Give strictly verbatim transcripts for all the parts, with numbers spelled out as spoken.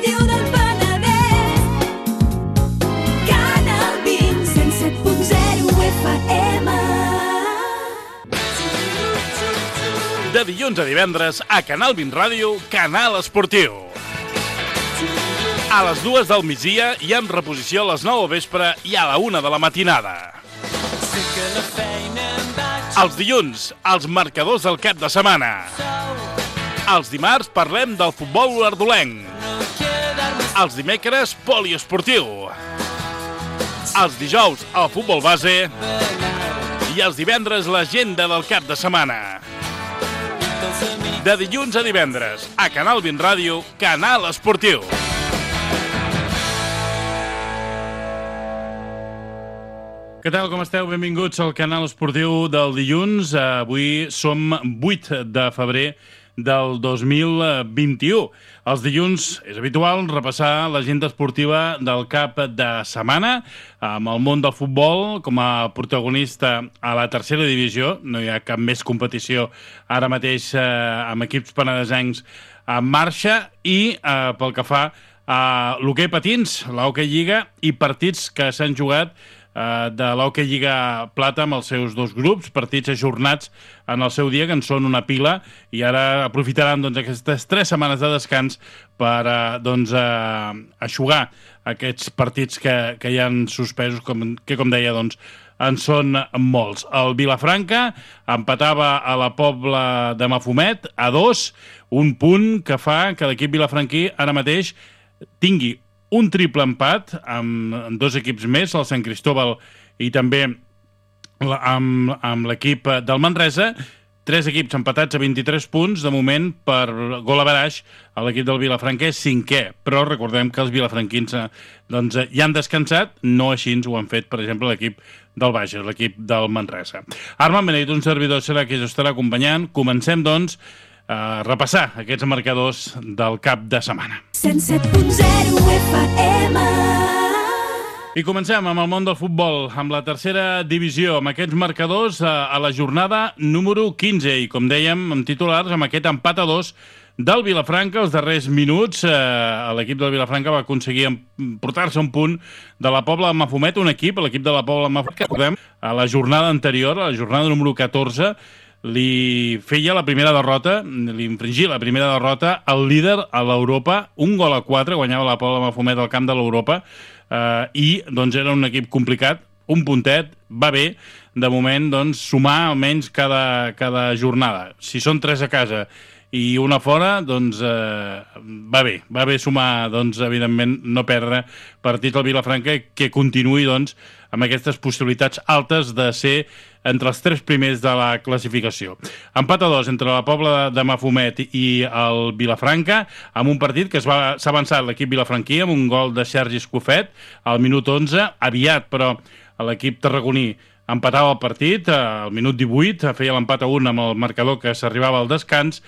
Ràdio del Penedès. Canal vint, cent set punt zero F M. De dilluns a divendres, a Canal vint Ràdio, Canal Esportiu. A les dues del migdia i amb reposició a les nou al vespre i a la una de la matinada. Els dilluns, els marcadors del cap de setmana. Els dimarts parlem del futbol ardolenc. Els dimecres, poliesportiu. Els dijous, el futbol base. I els divendres, l'agenda del cap de setmana. De dilluns a divendres, a Canal vint Ràdio, Canal Esportiu. Què tal, com esteu? Benvinguts al Canal Esportiu del dilluns. Avui som vuit de febrer del dos mil vint-i-u. Els dilluns és habitual repassar l'agenda esportiva del cap de setmana amb el món del futbol com a protagonista a la tercera divisió. No hi ha cap més competició ara mateix eh, amb equips penedesencs en marxa i eh, pel que fa a l'hoquei patins, l'Hockey Lliga i partits que s'han jugat de l'Hockey Lliga Plata amb els seus dos grups, partits ajornats en el seu dia, que en són una pila, i ara aprofitaran doncs, aquestes tres setmanes de descans per eh, doncs, eh, aixugar aquests partits que, que hi han suspesos, com, que com deia, doncs, en són molts. El Vilafranca empatava a la Pobla de Mafumet a dos, un punt que fa que l'equip vilafranquí ara mateix tingui un triple empat amb dos equips més, el Sant Cristóbal i també amb, amb l'equip del Manresa. Tres equips empatats a vint-i-tres punts, de moment, per gol average, l'equip del Vilafranca és cinquè, però recordem que els vilafranquins doncs, ja han descansat, no així ho han fet, per exemple, l'equip del Bages, l'equip del Manresa. Armand Benedit, un servidor, serà qui us estarà acompanyant. Comencem, doncs, a repassar aquests marcadors del cap de setmana. cent set punt zero F M. I comencem amb el món del futbol, amb la tercera divisió, amb aquests marcadors a, a la jornada número quinze. I com dèiem, amb titulars, amb aquest empat a dos del Vilafranca, els darrers minuts, eh, l'equip del Vilafranca va aconseguir portar-se un punt de la Pobla de Mafumet, un equip, l'equip de la Pobla de Mafumet, que recordem, a la jornada anterior, a la jornada número catorze, li feia la primera derrota, li infringia la primera derrota al líder a l'Europa, un gol a quatre, guanyava la Pobla de Mafumet al camp de l'Europa, eh, i doncs era un equip complicat, un puntet, va bé, de moment doncs, sumar almenys cada, cada jornada. Si són tres a casa i una fora, doncs eh, va bé, va bé sumar, doncs, evidentment, no perdre partit al Vilafranca, que continuï doncs, amb aquestes possibilitats altes de ser entre els tres primers de la classificació. Empat a dos entre la Pobla de Mafumet i el Vilafranca, amb un partit que s'ha avançat l'equip vilafranquí amb un gol de Sergi Escofet al minut onze, aviat, però l'equip tarragoní empatava el partit, al minut divuit, feia l'empat a un amb el marcador que s'arribava al descans,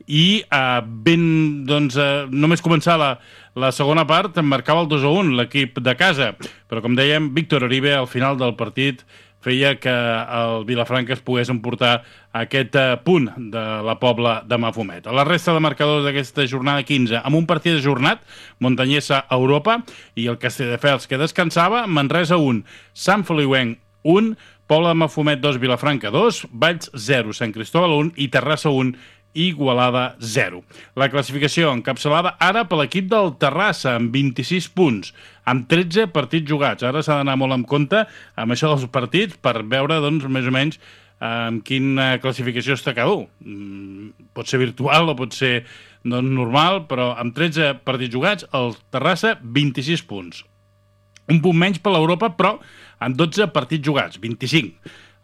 i eh, ben, doncs, eh, només començar la, la segona part, marcava el dos a un l'equip de casa, però com dèiem, Víctor Oribe al final del partit feia que el Vilafranca es pogués emportar aquest eh, punt de la Pobla de Mafumet. A la resta de marcadors d'aquesta jornada quinze, amb un partit ajornat, Montanyesa a Europa, i el Castelldefels que descansava, Manresa un, Sant Feliuenc un, Pobla de Mafumet dos, Vilafranca dos, Valls zero, Sant Cristóbal un i Terrassa un, Igualada zero. La classificació encapçalada ara per l'equip del Terrassa amb vint-i-sis punts, amb tretze partits jugats. Ara s'ha d'anar molt en compte amb això dels partits per veure, doncs, més o menys amb quina classificació està cada un. Pot ser virtual o pot ser doncs, normal, però amb tretze partits jugats, el Terrassa vint-i-sis punts. Un punt menys per l'Europa, però amb dotze partits jugats, vint-i-cinc.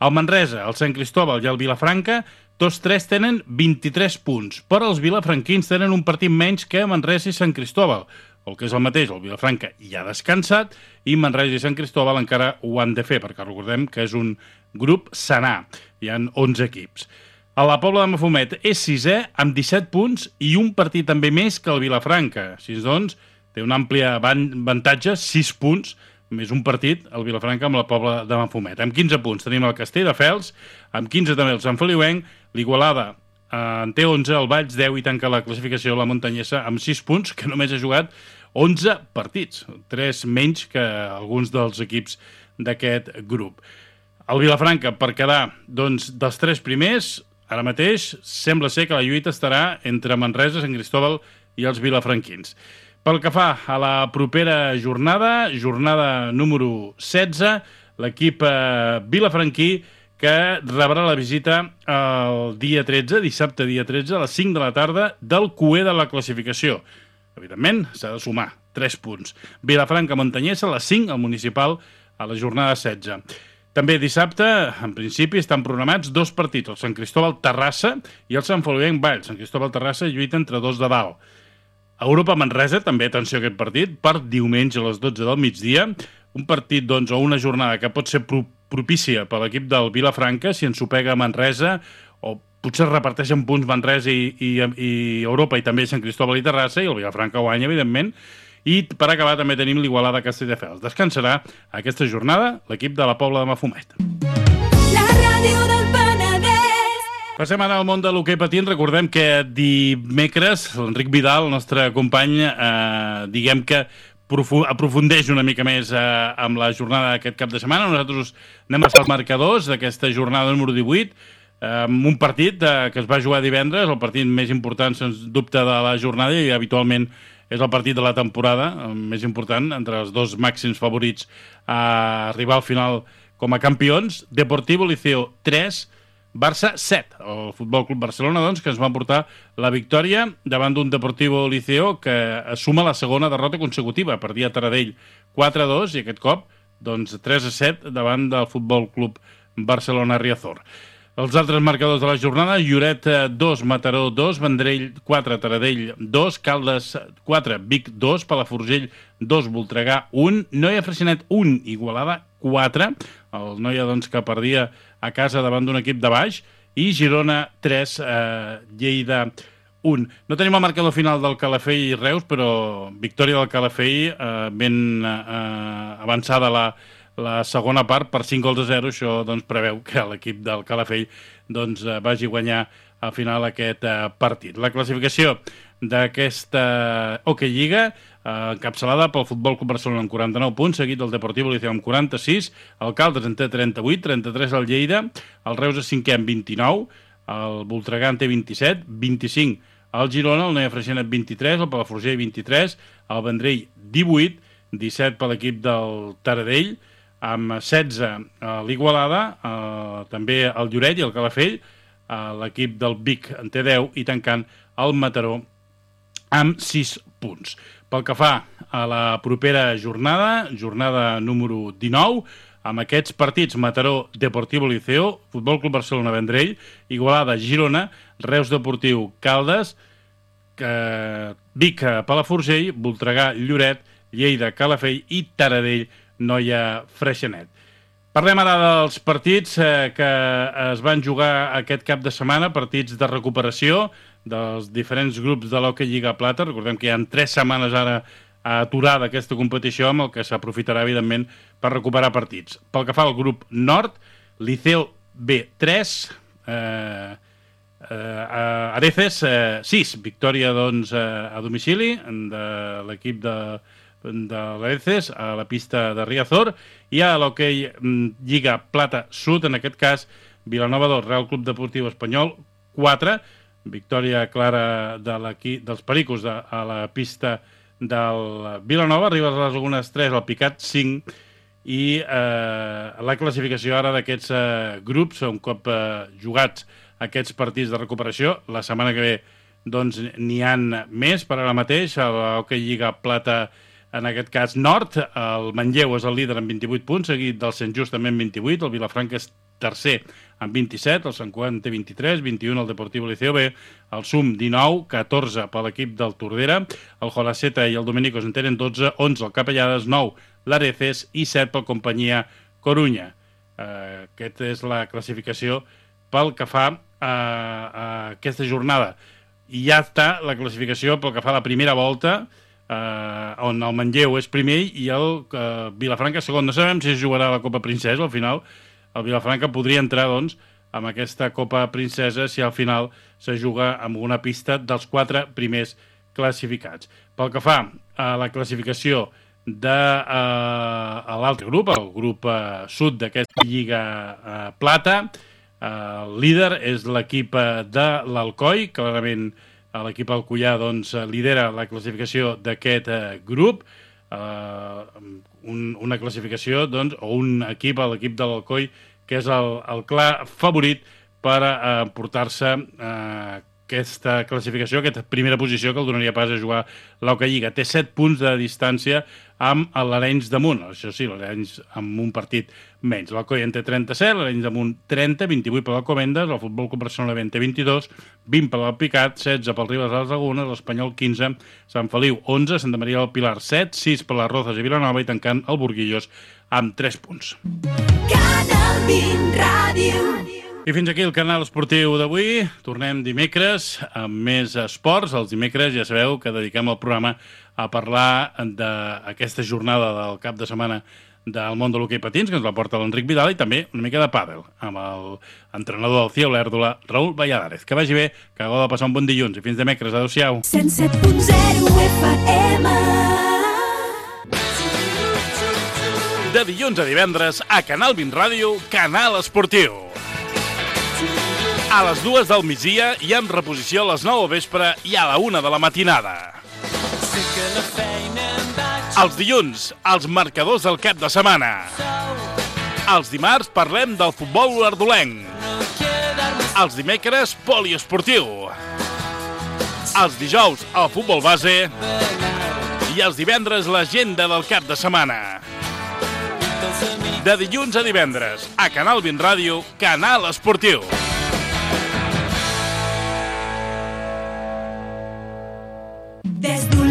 El Manresa, el Sant Cristóbal i el Vilafranca, tots tres tenen vint-i-tres punts, però els vilafranquins tenen un partit menys que Manresa i Sant Cristóbal. El que és el mateix, el Vilafranca ja ha descansat i Manresa i Sant Cristóbal encara ho han de fer, perquè recordem que és un grup sanar. Hi ha onze equips. A la Pobla de Mafumet és sisè amb disset punts i un partit també més que el Vilafranca. Així doncs, té un ampli avantatge, sis punts, més un partit, el Vilafranca amb la Pobla de Mafumet. Amb quinze punts tenim el Castelldefels, amb quinze també el Sant Feliuenc, l'Igualada eh, en té onze, el Valls deu i tanca la classificació la Montanyesa amb sis punts, que només ha jugat onze partits, tres menys que alguns dels equips d'aquest grup. El Vilafranca, per quedar doncs, dels tres primers, ara mateix sembla ser que la lluita estarà entre Manresa, Sant Cristóbal i els vilafranquins. Pel que fa a la propera jornada, jornada número setze, l'equip eh, vilafranquí que rebrà la visita el dia tretze, dissabte dia tretze, a les cinc de la tarda, del cuer de la classificació. Evidentment, s'ha de sumar tres punts. Vilafranca-Montanyesa, a les cinc, al municipal, a la jornada setze. També dissabte, en principi, estan programats dos partits, el Sant Cristóbal-Terrassa i el Sant Feliuenc-Valls. Sant Cristóbal-Terrassa lluita entre dos de dalt. Europa-Manresa, també atenció a aquest partit, per diumenge a les dotze del migdia, un partit doncs, o una jornada que pot ser pro propícia per l'equip del Vilafranca si ens ho pega a Manresa, o potser reparteixen punts Manresa i, i, i Europa i també Sant Cristóbal i Terrassa, i el Vilafranca guanya, evidentment. I per acabar també tenim l'Igualada Castelldefels. Descansarà aquesta jornada l'equip de la Pobla de Mafumet. La ràdio del Penedès. Passem ara al món de l'hoquei patins. Recordem que dimecres l'Enric Vidal, el nostre company, eh, diguem que aprofundeix una mica més eh, amb la jornada d'aquest cap de setmana. Nosaltres anem a ser els marcadors d'aquesta jornada número divuit, eh, amb un partit eh, que es va jugar divendres, el partit més important, sens dubte, de la jornada, i habitualment és el partit de la temporada, el més important, entre els dos màxims favorits a arribar al final com a campions. Deportivo Liceo tres, Barça set. El Futbol Club Barcelona, doncs, que ens va portar la victòria davant d'un Deportivo Liceo que assuma la segona derrota consecutiva. Perdia Taradell quatre a dos i aquest cop doncs, tres a set davant del Futbol Club Barcelona Riazor. Els altres marcadors de la jornada: Lloret dos, Mataró dos, Vendrell quatre, Taradell dos, Caldes quatre, Vic dos, Palafrugell dos, Voltregà un, Noia Freixenet un, Igualada quatre, el Noia doncs, que perdia a casa davant d'un equip de baix, i Girona tres, eh, Lleida un. No tenim el marcador final del Calafell i Reus, però victòria del Calafell, eh, ben eh, avançada la la segona part per cinc gols a zero. Això doncs, preveu que l'equip del Calafell doncs, vagi a guanyar al final aquest eh, partit. La classificació d'aquesta Hockey Lliga, eh, encapçalada pel Futbol Club Barcelona amb quaranta-nou punts, seguit del Deportivo Liceo amb quaranta-sis, el Caldes en té trenta-vuit, trenta-tres el Lleida, el Reus és cinquè amb vint-i-nou, el Voltregà en té vint-i-set, vint-i-cinc el Girona, el Noia Freixenet vint-i-tres, el Palafrugell vint-i-tres, el Vendrell divuit, disset per l'equip del Taradell, amb setze a l'Igualada, eh, també el Lloret i el Calafell, eh, l'equip del Vic en té deu i tancant el Mataró amb sis punts. Pel que fa a la propera jornada, jornada número dinou, amb aquests partits: Mataró, Deportivo Liceo, Futbol Club Barcelona Vendrell, Igualada, Girona, Reus Deportiu, Caldes, eh, Vic, Palafrugell, Voltregà, Lloret, Lleida, Calafell i Taradell, Noia Freixenet. Parlem ara dels partits eh, que es van jugar aquest cap de setmana, partits de recuperació dels diferents grups de l'Hockey Lliga Plata. Recordem que hi ha tres setmanes ara aturada aquesta competició, amb el que s'aprofitarà, evidentment, per recuperar partits. Pel que fa al grup nord, Liceo B tres, eh, eh, Areces eh, sis, victòria doncs, a domicili de l'equip de de l'Areces a la pista de Riazor, i a l'Hockey Lliga Plata Sud, en aquest cas Vilanova dos, Real Club Deportiu Espanyol quatre, victòria clara de dels Pericos de, a la pista del Vilanova. Arriba a les Lagunes tres, el Picat cinc, i eh, la classificació ara d'aquests eh, grups, un cop eh, jugats aquests partits de recuperació, la setmana que ve doncs n'hi han més. Per ara mateix a l'Hockey Lliga Plata, en aquest cas nord, el Manlleu és el líder amb vint-i-vuit punts, seguit del Sant Just també amb vint-i-vuit, el Vilafranca és tercer amb vint-i-set, el Sant Cugat té vint-i-tres, vint-i-un el Deportivo Liceo B, el Sum dinou, catorze per l'equip del Tordera, el Jolaceta i el Dominicos en tenen dotze, onze el Capellades, nou l'Areces i set pel Companyia Corunya. Eh, aquesta és la classificació pel que fa a, a aquesta jornada. I ja està la classificació pel que fa a la primera volta, Uh, on el Manlleu és primer i el uh, Vilafranca segon. No sabem si es jugarà la Copa Princesa. Al final el Vilafranca podria entrar doncs, amb aquesta Copa Princesa si al final se juga amb una pista dels quatre primers classificats. pel que fa a la classificació de uh, l'altre grup, el grup uh, sud d'aquesta Lliga uh, Plata, uh, el líder és l'equip de l'Alcoi, clarament l'equip alcoià doncs, lidera la classificació d'aquest uh, grup, uh, un, una classificació doncs, o un equip, l'equip de l'Alcoi, que és el, el clar favorit per uh, portar-se uh, aquesta classificació, aquesta primera posició que el donaria pas a jugar l'Oca Lliga. Té set punts de distància amb l'Arenys de Munt. Això sí, l'Arenys amb un partit menys. L'Alcoi en té trenta-set, l'Arenys de Munt trenta, vint-i-vuit per l'Alcobendas, el Futbol Club Barcelona en té vint-i-dos, vint per l'Alpicat, setze pel Ribes de les Lagunes, l'Espanyol quinze, Sant Feliu onze, Santa Maria del Pilar set, sis per les Rozas i Vilanova i tancant el Burguillos amb tres punts. Canal vint Ràdio. I fins aquí el canal esportiu d'avui. Tornem dimecres amb més esports. Els dimecres ja sabeu que dediquem el programa a parlar d'aquesta jornada del cap de setmana del món de l'hoquei patins, que ens la porta l'Enric Vidal, i també una mica de pàdel, amb l'entrenador del C I E Olèrdola, Raül Valladares. Que vagi bé, que hagueu de passar un bon dilluns. I fins dimecres. Adéu-siau. cent set punt zero F M. De dilluns a divendres, a Canal vint Ràdio, Canal Esportiu. A les dues del migdia i amb reposició a les nou al vespre i a la una de la matinada. Els dilluns, els marcadors del cap de setmana. Els dimarts parlem del futbol olèrdolenc. Els dimecres, poliesportiu. Els dijous, el futbol base. I els divendres, l'agenda del cap de setmana. De dilluns a divendres, a Canal vint Ràdio, Canal Esportiu. Des d'un